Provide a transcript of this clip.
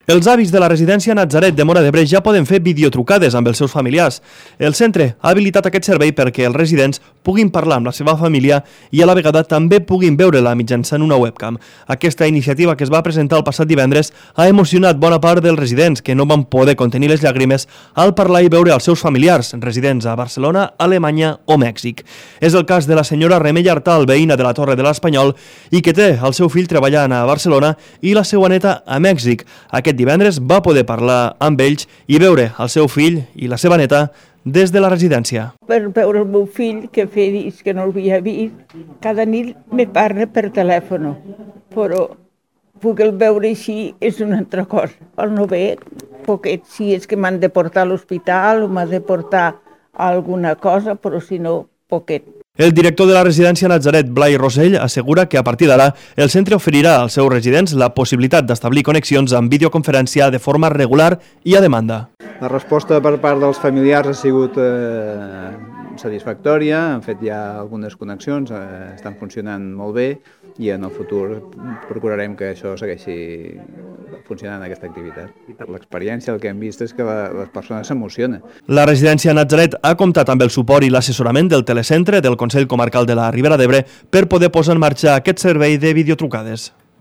Els avis de la residència Natzaret de Móra d'Ebre ja poden fer videotrucades amb els seus familiars. El centre ha habilitat aquest servei perquè els residents puguin parlar amb la seva família i a la vegada també puguin veure-la mitjançant una webcam. Aquesta iniciativa que es va presentar el passat divendres ha emocionat bona part dels residents que no van poder contenir les llàgrimes al parlar i veure els seus familiars, residents a Barcelona, Alemanya o Mèxic. És el cas de la senyora Remei Artal, veïna de la Torre de l'Espanyol, i que té el seu fill treballant a Barcelona i la seva neta a Mèxic. Aquest divendres va poder parlar amb ells i veure el seu fill i la seva neta des de la residència. Per veure el meu fill, que feia dies que no l'havia vist, cada nit me parla per telèfon, però puc el veure així és una altra cosa. El no ve, poquet, si és que m'han de portar a l'hospital o m'ha de portar alguna cosa, però si no, poquet. El director de la residència Natzaret, Blai Rosell, assegura que a partir d'ara el centre oferirà als seus residents la possibilitat d'establir connexions amb videoconferència de forma regular i a demanda. La resposta per part dels familiars ha sigut satisfactòria, han fet ja algunes connexions, estan funcionant molt bé i en el futur procurarem que això segueixi funcionant aquesta activitat. I per l'experiència el que hem vist és que les persones s'emocionen. La residència Natzaret ha comptat amb el suport i l'assessorament del telecentre del Consell Comarcal de la Ribera d'Ebre per poder posar en marxa aquest servei de videotrucades.